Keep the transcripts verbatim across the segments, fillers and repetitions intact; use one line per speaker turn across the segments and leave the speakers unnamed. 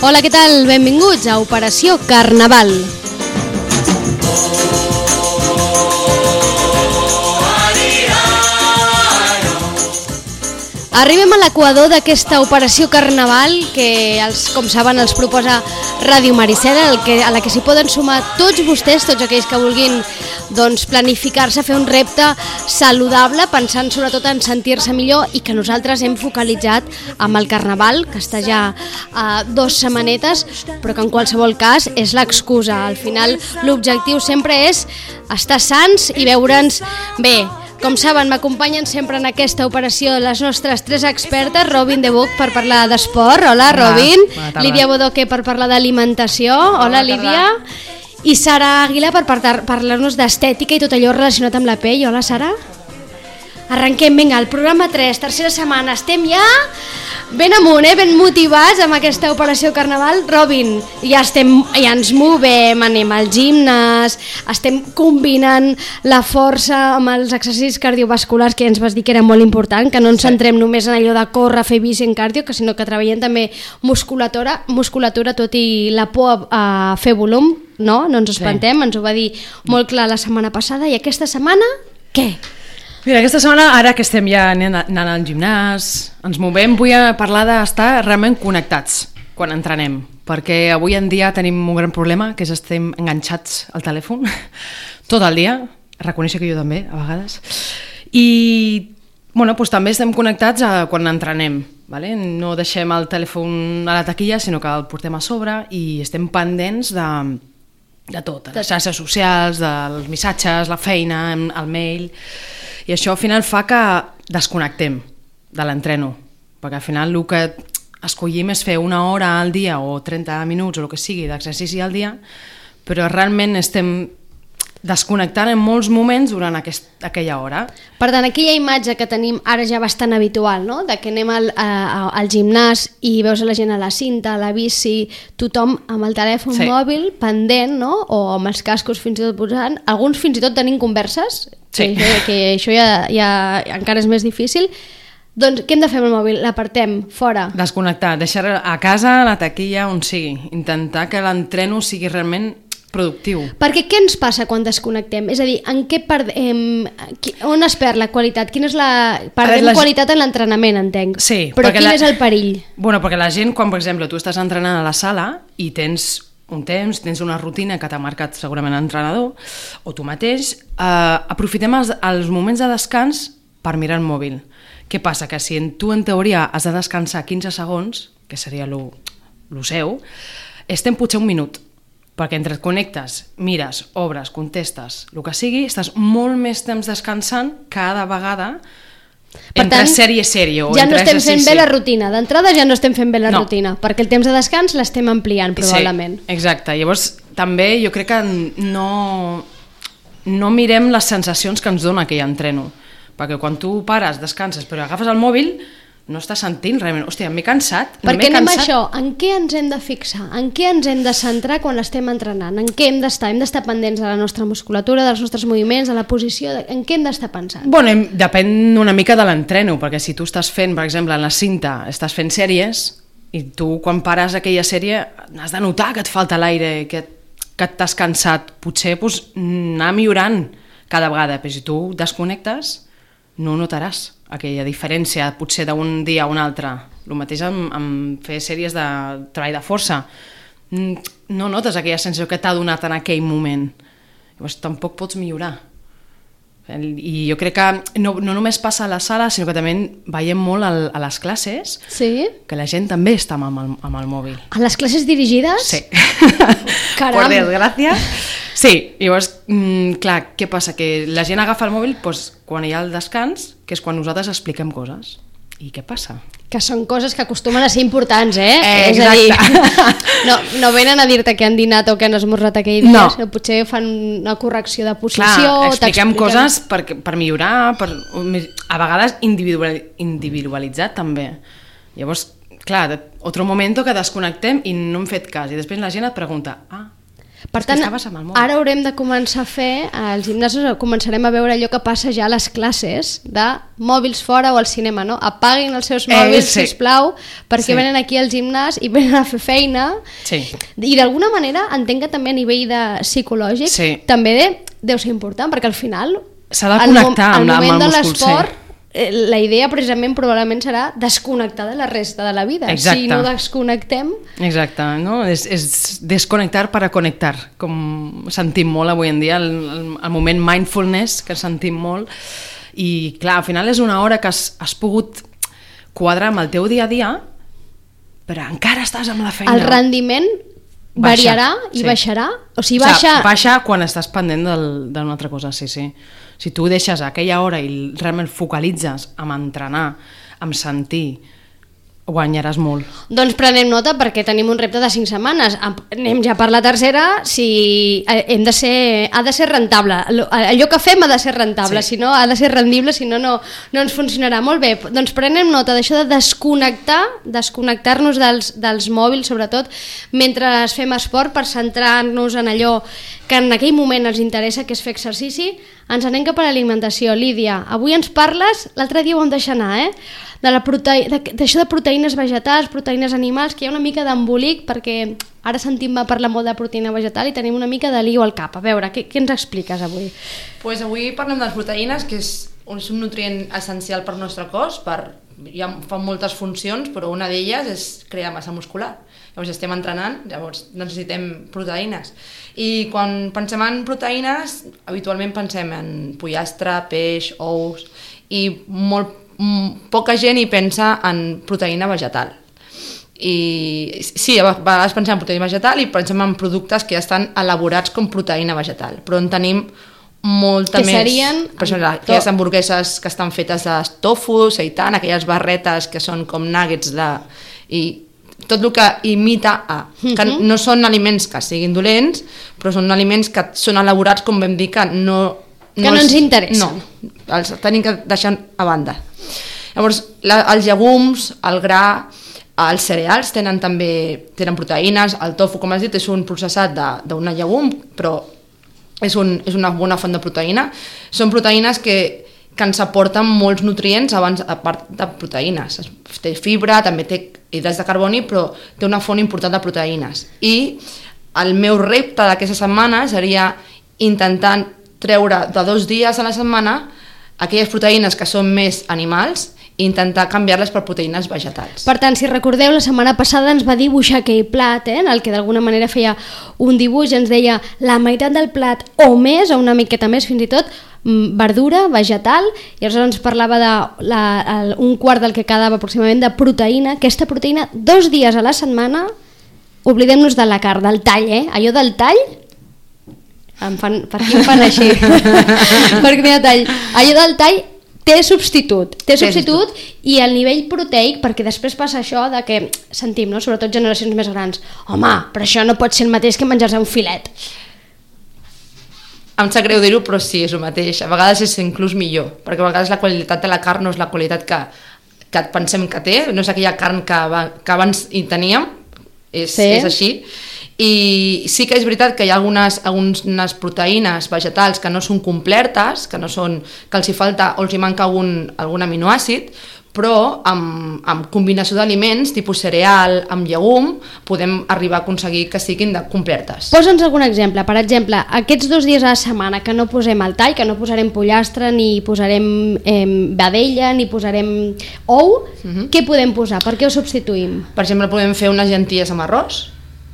Hola, què tal? Benvinguts a Operació Carnaval. Arribem a l'equador d'aquesta Operació Carnaval que, els, com saben, els proposa Ràdio Maricela, que, a la que s'hi poden sumar tots vostès, tots aquells que vulguin doncs, planificar-se, fer un repte saludable, pensant sobretot en sentir-se millor, i que nosaltres hem focalitzat amb el Carnaval, que està ja a dos setmanetes, però que en qualsevol cas és l'excusa. Al final l'objectiu sempre és estar sans i veure'ns bé. Com saben, m'acompanyen sempre en aquesta operació les nostres tres expertes, Robin de Buc per parlar d'esport, hola Robin, hola, Lídia Bodoque per parlar d'alimentació, hola, hola Lídia, i Sara Aguilar per parlar-nos d'estètica i tot allò relacionat amb la pell, hola Sara. Arrenquem, vinga, el programa tres, tercera setmana, estem ja ben amunt, eh? Ben motivats amb aquesta operació Carnaval. Robin, ja, estem, ja ens movem, anem al gimnàs, estem combinant la força amb els exercicis cardiovasculars que ja ens vas dir que era molt important, que no ens centrem només en allò de córrer, fer bici en cardio, que sinó que treballem també musculatura, musculatura tot i la por a fer volum, no? No ens espantem, ens ho va dir molt clar la setmana passada, i aquesta setmana, què?
Mira, aquesta setmana, ara que estem ja anant al gimnàs, ens movem, vull parlar d'estar realment connectats quan entrenem, perquè avui en dia tenim un gran problema, que és estem enganxats al telèfon tot el dia, reconèixer que jo també, a vegades, i bueno, doncs també estem connectats a quan entrenem, vale? No deixem el telèfon a la taquilla, sinó que el portem a sobre i estem pendents de, de tot, de les xarxes socials, dels missatges, la feina, el mail. I això al final fa que desconnectem de l'entreno, perquè al final el que escollim és fer una hora al dia o trenta minuts o el que sigui d'exercici al dia, però realment estem desconnectant en molts moments durant aquest, aquella hora.
Per tant, aquella imatge que tenim ara ja bastant habitual, no? De que anem al, a, al gimnàs i veus la gent a la cinta, a la bici, tothom amb el telèfon sí. mòbil pendent, no? O amb els cascos fins i tot posant, alguns fins i tot tenint converses, sí. que, que això ja, ja encara és més difícil. Doncs què hem de fer amb el mòbil? L'apartem fora.
Desconnectar, deixar a casa, a la taquilla, on sigui. Intentar que l'entreno sigui realment productiu.
Perquè què ens passa quan desconnectem? És a dir, en què perdem, on es perd la qualitat? Quina és la... Perdem la... qualitat en l'entrenament, entenc.
Sí.
Però quin la... és el perill?
Bueno, perquè la gent, quan per exemple tu estàs entrenant a la sala i tens un temps, tens una rutina que t'ha marcat segurament l'entrenador o tu mateix, eh, aprofitem els, els moments de descans per mirar el mòbil. Què passa? Que si tu en teoria has de descansar quinze segons, que seria lo, lo seu, estem potser un minut, perquè entre et connectes, mires, obres, contestes, el que sigui, estàs molt més temps descansant cada vegada per entre tant, sèrie i sèrie. O
ja no estem
exercici.
fent bé la rutina. D'entrada ja no estem fent bé la no. rutina, perquè el temps de descans l'estem ampliant, probablement.
Sí, exacte. Llavors, també jo crec que no, no mirem les sensacions que ens dona aquell entreno, perquè quan tu pares, descanses, però agafes el mòbil, no estàs sentint realment, hòstia, m'he cansat.
Perquè anem a això, en què ens hem de fixar? En què ens hem de centrar quan estem entrenant? En què hem d'estar? Hem d'estar pendents de la nostra musculatura, dels nostres moviments, de la posició, de... en què hem d'estar pensant?
Bueno, depèn una mica de l'entreno, perquè si tu estàs fent, per exemple, en la cinta, estàs fent sèries, i tu quan pares aquella sèrie has de notar que et falta l'aire, que, que t'has cansat. Potser pues, anar millorant cada vegada, però si tu desconnectes, no ho notaràs aquella diferència potser d'un dia a un altre. El mateix amb, amb fer sèries de treball de força. No notes aquella sensació que t'ha donat en aquell moment. Llavors tampoc pots millorar. I jo crec que no, no només passa a la sala, sinó que també veiem molt al, a les classes,
sí?
Que la gent també està amb el, amb el mòbil.
A les classes dirigides?
Sí.
Caram!
Por desgràcia. Sí, llavors, mm, clar, què passa? Que la gent agafa el mòbil doncs, quan hi ha el descans, que és quan nosaltres expliquem coses. I què passa?
Que són coses que acostumen a ser importants, eh?
eh
és a dir, no, no venen a dir-te que han dinat o que han esmorzat aquell dia, no. Sinó potser fan una correcció de posició.
Clar, expliquem coses per, per millorar, per, a vegades individualitzat també. Llavors, clar, otro momento que desconnectem i no hem fet cas. I després la gent et pregunta, ah,
Per tant, ara haurem de començar a fer, als gimnasos començarem a veure allò que passa ja a les classes de mòbils fora o al cinema, no? Apaguin els seus mòbils, eh, sí. sisplau, perquè sí. venen aquí al gimnàs i venen a fer feina. Sí. I d'alguna manera entenc que també a nivell de psicològic sí. també deu ser important, perquè al final
s'ha de connectar amb, amb el múscul, sí.
La idea precisament probablement serà desconnectar de la resta de la vida.
Exacte.
Si no desconnectem...
Exacte, no? És, és desconnectar per a connectar, com sentim molt avui en dia, el, el, el moment mindfulness que sentim molt, i clar, al final és una hora que has, has pogut quadrar amb el teu dia a dia, però encara estàs amb la feina.
El rendiment variarà Baixa, i sí. baixarà? O sigui, baixa...
O sigui, baixa quan estàs pendent d'una altra cosa, sí, sí. Si tu deixes aquella hora i realment focalitzes en entrenar, en sentir, guanyaràs molt.
Doncs prenem nota perquè tenim un repte de cinc setmanes. Anem ja per la tercera, si hem de ser, ha de ser rentable. Allò que fem ha de ser rentable, sí. si no ha de ser rendible, si no, no, no ens funcionarà. Molt bé, doncs prenem nota d'això de desconnectar, desconnectar-nos dels, dels mòbils, sobretot, mentre fem esport, per centrar-nos en allò que en aquell moment els interessa, que és fer exercici. Ens anem cap a l'alimentació. Lídia, avui ens parles, l'altre dia ho vam deixar anar, eh? de la prote... d'això de proteïnes vegetals, proteïnes animals, que hi ha una mica d'embolic, perquè ara sentim parlar molt de proteïna vegetal i tenim una mica de lío al cap. A veure, què, què ens expliques avui?
Pues avui parlem de les proteïnes, que és un nutrient essencial per al nostre cos, per... ja fan moltes funcions, però una d'elles és crear massa muscular. Llavors estem entrenant, llavors necessitem proteïnes. I quan pensem en proteïnes, habitualment pensem en pollastre, peix, ous, i molt poca gent hi pensa en proteïna vegetal. I sí, a vegades pensem en proteïna vegetal i pensem en productes que ja estan elaborats com proteïna vegetal, però en tenim molta
que
més.
Serien
per exemple, aquelles hamburgueses que estan fetes de tofu, seitan, aquelles barretes que són com nuggets de... i tot el que imita a, que no són aliments que siguin dolents, però són aliments que són elaborats, com vam dir, que no...
Que no, no ens interessen.
No, els tenim que deixar a banda. Llavors, la, els llegums, el gra, els cereals tenen també tenen proteïnes, el tofu, com has dit, és un processat d'un llegum, però és, un, és una bona font de proteïna. Són proteïnes que, que ens aporten molts nutrients abans, a part de proteïnes. Té fibra, també té hidrats de carboni, però té una font important de proteïnes. I el meu repte d'aquesta setmana seria intentar treure de dos dies a la setmana aquelles proteïnes que són més animals i intentar canviar-les per proteïnes vegetals.
Per tant, si recordeu, la setmana passada ens va dibuixar aquell plat, eh, en el que d'alguna manera feia un dibuix, ens deia la meitat del plat o més, o una miqueta més fins i tot, verdura, vegetal, i aleshores ens parlava de la, el, un quart del que quedava aproximadament de proteïna. Aquesta proteïna, dos dies a la setmana, oblidem-nos de la carn, del tall, eh? Allò del tall, em fan, per aquí em fan així, perquè mira, tall, allò del tall té substitut, té substitut i el nivell proteic, perquè després passa això de que sentim, no? Sobretot generacions més grans, home, però això no pot ser el mateix que menjar-se un filet.
Em sap greu dir-ho, però sí, és el mateix. A vegades és inclús millor, perquè a vegades la qualitat de la carn no és la qualitat que, que pensem que té, no és aquella carn que, que abans hi teníem, és, sí. és així. I sí que és veritat que hi ha algunes, algunes proteïnes vegetals que no són completes, que, no són, que els hi falta o els hi manca algun, algun aminoàcid, però amb, amb combinació d'aliments, tipus cereal, amb llegum, podem arribar a aconseguir que siguin de completes.
Posa'ns algun exemple. Per exemple, aquests dos dies a la setmana que no posem el tall, que no posarem pollastre, ni posarem eh, vedella, ni posarem ou, uh-huh. Què podem posar? Per què ho substituïm?
Per exemple, podem fer unes llenties amb arròs.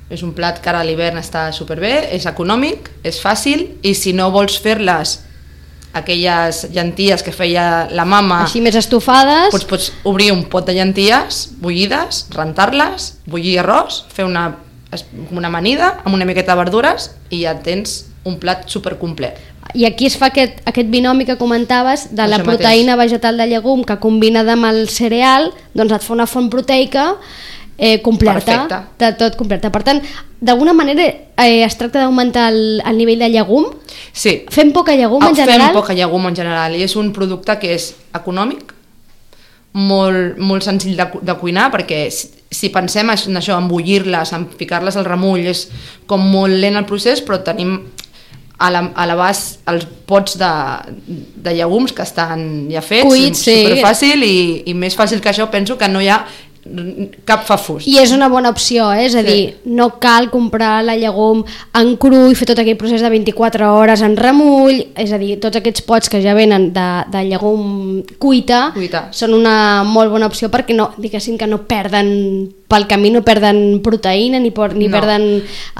És un plat que ara a l'hivern està superbé, és econòmic, és fàcil, i si no vols fer-les aquelles llenties que feia la mama
així més estufades,
pots, pots obrir un pot de llenties bullides, rentar-les, bullir arròs, fer una, una amanida amb una miqueta de verdures i ja tens un plat supercomplet.
I aquí es fa aquest, aquest binomi que comentaves de la
Això
proteïna
mateix.
vegetal de llegum que combinada amb el cereal, doncs et fa una font proteica Eh, completa, de tot completa. Per tant, d'alguna manera eh, es tracta d'augmentar el, el nivell de llegum.
Sí.
Fem poca llegum en general?
Fem poca llegum en general i és un producte que és econòmic, molt, molt senzill de, de cuinar, perquè si pensem en això, en bullir-les, en ficar-les al remull, és com molt lent el procés, però tenim a l'abast els pots de, de llegums que estan ja fets,
cuits, sí.
superfàcil, i, i més fàcil que això penso que no hi ha cap fafús.
I és una bona opció, eh? És a dir, sí. no cal comprar la llegum en cru i fer tot aquell procés de vint-i-quatre hores en remull, és a dir, tots aquests pots que ja venen de, de llegum cuita, cuita són una molt bona opció perquè no, diguéssim que no perden pel camí, no perden proteïna ni, por, ni no. perden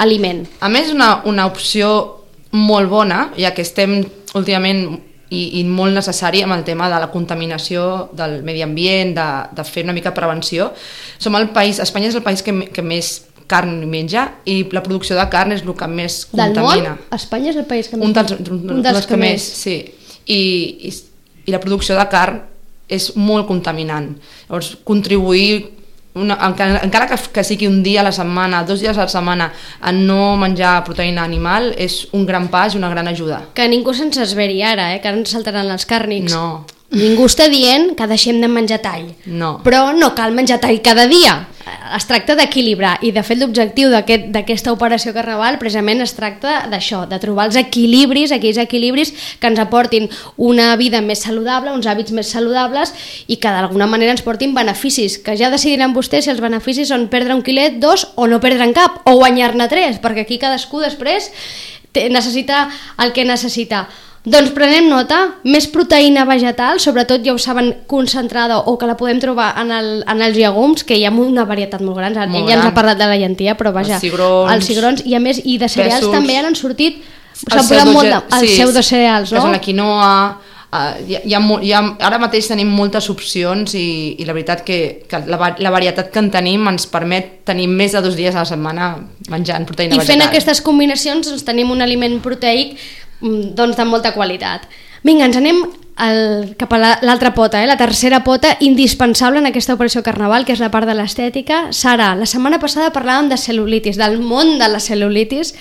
aliment.
A més, una, una opció molt bona, ja que estem últimament I, i molt necessari amb el tema de la contaminació del medi ambient, de, de fer una mica prevenció. Som el país, Espanya és el país que, que més carn menja i la producció de carn és el que més contamina.
Del món? Espanya és el país que més...
Un dels, un dels, dels que, que més, sí. I, i, I la producció de carn és molt contaminant. Llavors, contribuir Una, encara, encara que, que sigui un dia a la setmana, dos dies a la setmana, a no menjar proteïna animal, és un gran pas i una gran ajuda.
Que ningú se'ns esveri ara, eh? Que ara ens saltaran els càrnics.
No.
Ningú està dient que deixem de menjar tall.
No.
Però no cal menjar tall cada dia. Es tracta d'equilibrar i de fet l'objectiu d'aquesta aquest, operació Carnaval precisament es tracta d'això, de trobar els equilibris, aquells equilibris que ens aportin una vida més saludable, uns hàbits més saludables i que d'alguna manera ens portin beneficis, que ja decidiran vostès si els beneficis són perdre un quilet, dos o no perdre'n cap, o guanyar-ne tres, perquè aquí cadascú després necessita el que necessita. Doncs prenem nota, més proteïna vegetal, sobretot ja ho saben, concentrada o que la podem trobar en, el, en els llegums, que hi ha una varietat molt gran. Molt Ell ja ens ha parlat de la llentia, però vaja, els cigrons, els cigrons i a més i de cereals pèsols, també han sortit, s'han posat molt de, els sí, pseudocereals, no?
És la quinoa, uh, hi ha, hi ha, hi ha, ara mateix tenim moltes opcions i, i la veritat que, que la, la varietat que en tenim ens permet tenir més de dos dies a la setmana menjant proteïna
I
vegetal. I
fent aquestes combinacions doncs, tenim un aliment proteic doncs de molta qualitat. Vinga, ens anem al, cap a l'altra pota, eh? La tercera pota indispensable en aquesta operació Carnaval, que és la part de l'estètica. Sara, la setmana passada parlàvem de cel·lulitis, del món de la cel·lulitis,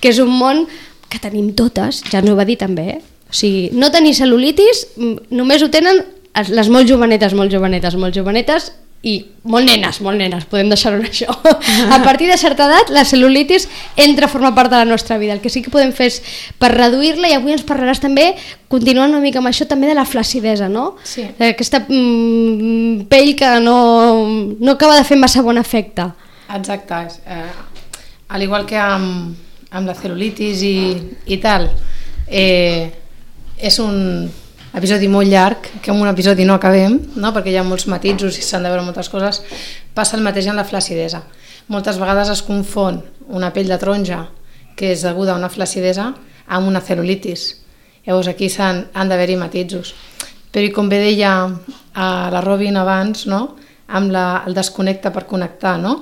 que és un món que tenim totes, ja ens ho va dir també, eh? O sigui, no tenir cel·lulitis només ho tenen les molt jovenetes, molt jovenetes, molt jovenetes i molt nenes, molt nenes, podem deixar-ho en això. A partir de certa edat la cel·lulitis entra a formar part de la nostra vida. El que sí que podem fer és per reduir-la, i avui ens parlaràs també, continuant una mica amb això, també de la flacidesa, no?
Sí.
Aquesta mm, pell que no, no acaba de fer massa bon efecte.
Exacte. Eh, al igual que amb, amb la cel·lulitis i, i tal, eh, és un episodi molt llarg, que en un episodi no acabem, no? Perquè hi ha molts matisos i s'han de veure moltes coses. Passa el mateix amb la flacidesa. Moltes vegades es confon una pell de taronja, que és deguda a una flacidesa, amb una cel·lulitis. Llavors aquí han, han d'haver-hi matisos. Però com bé deia a la Robin abans, no? Amb la, el desconnecta per connectar, no?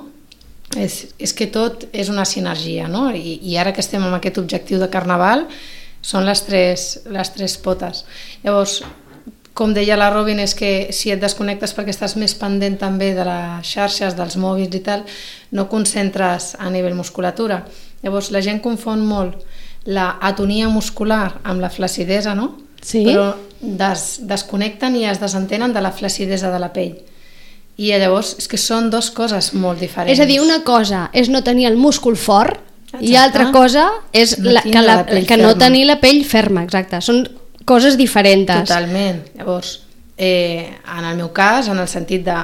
És, és que tot és una sinergia, no? I, i ara que estem amb aquest objectiu de Carnaval, són les tres, les tres potes. Llavors, com deia la Robin, és que si et desconnectes perquè estàs més pendent també de les xarxes, dels mòbils i tal, no concentres a nivell musculatura. Llavors, la gent confon molt la atonia muscular amb la flacidesa, no?
Sí.
Però des, desconnecten i es desentenen de la flacidesa de la pell. I llavors, és que són dues coses molt diferents.
És a dir, una cosa és no tenir el múscul fort, exacte. I altra cosa és no la, que, la, la que no tenir la pell ferma, exacte. Són coses diferents.
Totalment. Llavors, eh, en el meu cas, en el sentit de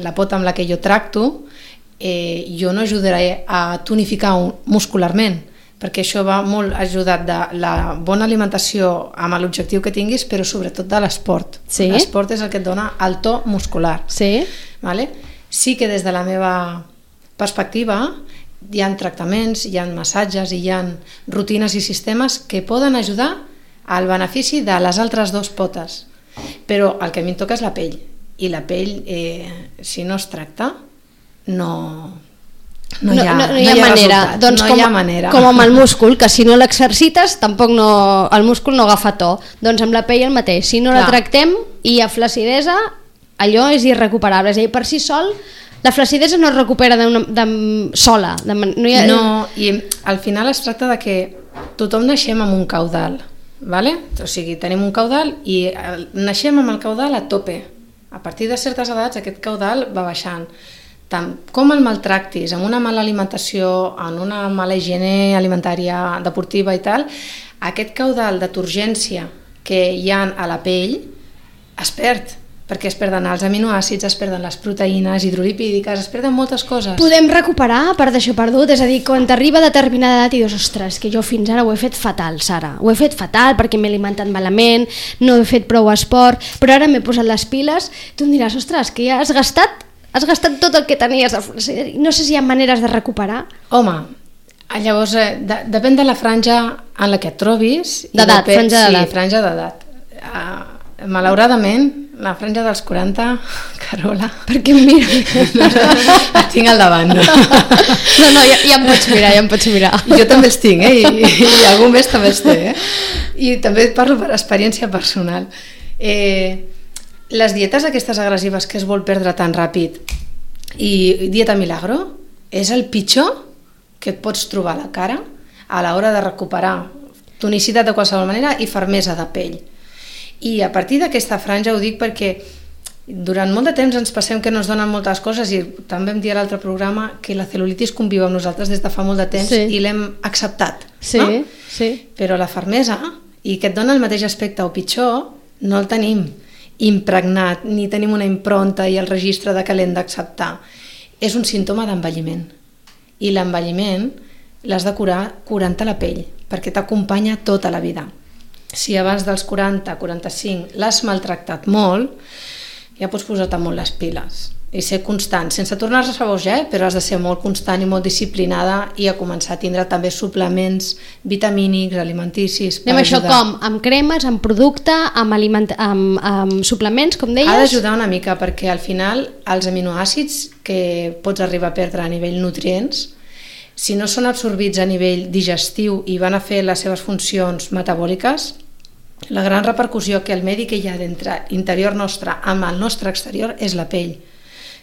la pota amb la que jo tracto, eh, jo no ajudaré a tonificar muscularment, perquè això va molt ajudat de la bona alimentació amb l'objectiu que tinguis, però sobretot de l'esport.
Sí?
L'esport és el que et dona el to muscular.
Sí.
Vale? Sí que des de la meva perspectiva hi ha tractaments, hi ha massatges i hi ha rutines i sistemes que poden ajudar al benefici de les altres dues potes, però el que a mi em toca és la pell, i la pell eh, si no es tracta no, no, hi, ha,
no, no, no
hi ha,
hi ha manera. Doncs
no
com,
hi ha manera
com amb el múscul, que si no l'exercites tampoc no, el múscul no agafa to, doncs amb la pell el mateix, si no Clar. La tractem i hi ha flacidesa, allò és irrecuperable, és a dir, per si sol la flacidesa no es recupera de una, de, sola. De, no, hi ha...
no, i al final es tracta de que tothom naixem amb un caudal, vale? O sigui, tenim un caudal i naixem amb el caudal a tope. A partir de certes edats aquest caudal va baixant. tant com el maltractis, amb una mala alimentació, en una mala higiene alimentària, deportiva i tal, aquest caudal de turgència que hi ha a la pell es perd, perquè es perden els aminoàcids, es perden les proteïnes hidrolipídiques, es perden moltes coses.
Podem recuperar part d'això perdut? És a dir, quan t'arriba a determinada edat i dius, ostres, que jo fins ara ho he fet fatal, Sara. Ho he fet fatal perquè m'he alimentat malament, no he fet prou esport, però ara m'he posat les piles. Tu em diràs, ostres, que ja has gastat, has gastat tot el que tenies. No sé si hi ha maneres de recuperar.
Home, llavors, eh, de, depèn de la franja en la que et trobis.
D'edat, franja d'edat.
Sí, franja d'edat. Uh, malauradament, la franja dels quaranta, Carola...
Per què em mires?
Et tinc al davant. No,
no, no ja, ja em pots mirar, ja em pots mirar.
Jo també els tinc, eh? I, i algú més també els té, eh? I també parlo per experiència personal. Eh, les dietes aquestes agressives que es vol perdre tan ràpid i dieta milagro és el pitjor que et pots trobar a la cara a l'hora de recuperar tonicitat de qualsevol manera i fermesa de pell. I a partir d'aquesta franja ho dic perquè durant molt de temps ens passem que no ens donen moltes coses i també vam dir a l'altre programa que la cel·lulitis conviu amb nosaltres des de fa molt de temps sí. i l'hem acceptat,
sí,
no?
Sí.
Però la fermesa i que et dona el mateix aspecte o pitjor no el tenim impregnat ni tenim una impronta i el registre de que l'hem d'acceptar. És un símptoma d'envelliment i l'envelliment l'has de curar curant-te la pell perquè t'acompanya tota la vida. Si abans dels quaranta a quaranta-cinc l'has maltractat molt, ja pots posar-te molt les piles i ser constant, sense tornar-se a boja, eh? Però has de ser molt constant i molt disciplinada i a començar a tindre també suplements vitamínics, alimenticis per
Anem
ajudar.
Això com? Amb cremes, amb producte, amb, aliment... amb, amb suplements, com deies?
Ha d'ajudar una mica perquè al final els aminoàcids que pots arribar a perdre a nivell nutrients, si no són absorbits a nivell digestiu i van a fer les seves funcions metabòliques, la gran repercussió que el medi que hi ha dintre interior nostre amb el nostre exterior és la pell.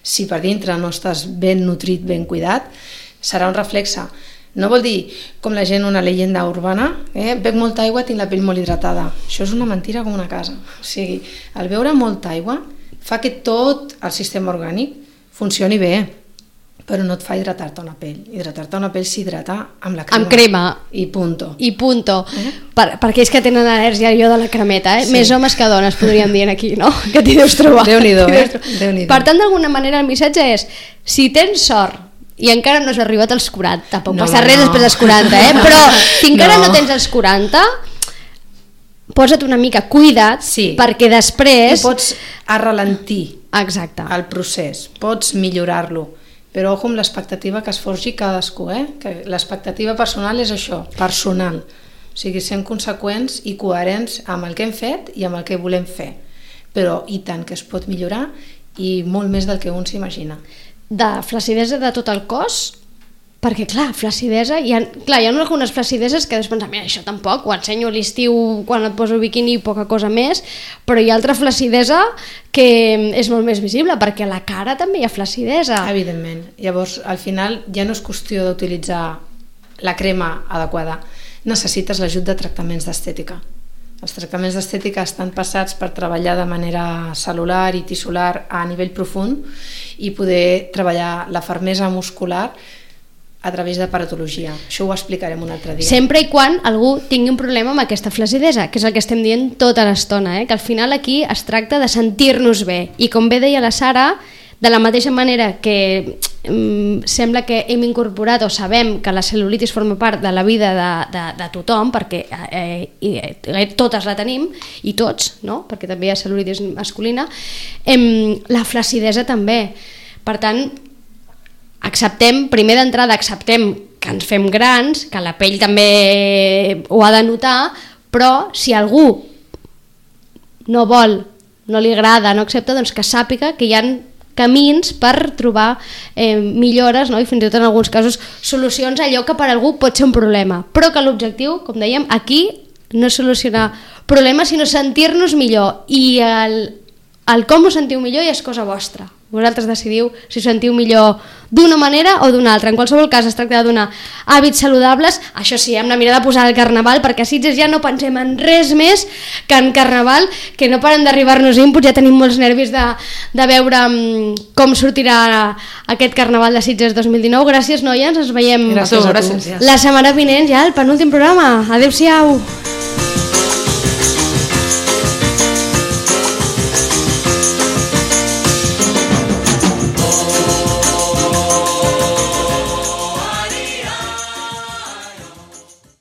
Si per dintre no estàs ben nutrit, ben cuidat, serà un reflexe. No vol dir, com la gent, una llegenda urbana, eh? Bec molta aigua, tinc la pell molt hidratada. Això és una mentira com una casa. O sigui, el beure molta aigua fa que tot el sistema orgànic funcioni bé, però no et fa hidratar-te una pell. Hidratar-te una pell s'hidrata amb la crema.
Amb crema.
I punto.
I punto.
Eh?
Per, per aquells que tenen al·lèrgia jo de la cremeta, eh?
Sí.
Més homes que dones podríem dir aquí, no? Que t'hi deus trobar.
Déu-n'hi-do, eh? Déu-n'hi-do.
Per tant, d'alguna manera el missatge és, si tens sort i encara no has arribat als quaranta, tampoc
No,
passa
no,
res
no.
després dels quaranta, eh? Però si encara no,
No.
no tens els quaranta, posa't una mica cuida't,
Sí.
perquè després...
I pots arralentir
Exacte.
el procés, pots millorar-lo, però ojo amb l'expectativa que es forgi cadascú, eh? Que l'expectativa personal és això, personal, o sigui, sent conseqüents i coherents amb el que hem fet i amb el que volem fer, però i tant que es pot millorar i molt més del que un s'imagina.
De flacidesa de tot el cos, perquè clar, flacidesa, hi ha, clar, hi ha algunes flacideses que després pensar, mira, això tampoc, ho ensenyo a l'estiu quan et poso biquini i poca cosa més, però hi ha altra flacidesa que és molt més visible, perquè a la cara també hi ha flacidesa.
Evidentment, llavors al final ja no és qüestió d'utilitzar la crema adequada, necessites l'ajut de tractaments d'estètica. Els tractaments d'estètica estan passats per treballar de manera cel·lular i tissular a nivell profund i poder treballar la fermesa muscular a través de paratologia. Això ho explicarem un altre dia.
Sempre i quan algú tingui un problema amb aquesta flacidesa, que és el que estem dient tota l'estona, eh? Que al final aquí es tracta de sentir-nos bé. I com bé deia la Sara, de la mateixa manera que mm, sembla que hem incorporat o sabem que la cel·lulitis forma part de la vida de, de, de tothom, perquè eh, eh, totes la tenim, i tots, no? Perquè també hi ha cel·lulitis masculina, eh, la flacidesa també. Per tant, acceptem, primer d'entrada acceptem que ens fem grans, que la pell també ho ha de notar, però si algú no vol, no li agrada, no accepta, doncs que sàpiga que hi ha camins per trobar eh, millores, no? I fins i tot en alguns casos solucions a allò que per algú pot ser un problema, però que l'objectiu, com dèiem, aquí no és solucionar problemes sinó sentir-nos millor, i el, el com us sentiu millor ja és cosa vostra, Vosaltres decidiu si us sentiu millor d'una manera o d'una altra. En qualsevol cas es tracta de donar hàbits saludables, això sí, amb la mirada posada al Carnaval, perquè a Sitges ja no pensem en res més que en Carnaval, que no paren d'arribar-nos inputs, ja tenim molts nervis de, de veure com sortirà aquest Carnaval de Sitges dos mil dinou. Gràcies, noies, ens veiem
gràcies, gràcies.
la setmana vinent, ja el penúltim programa. Adéu-siau.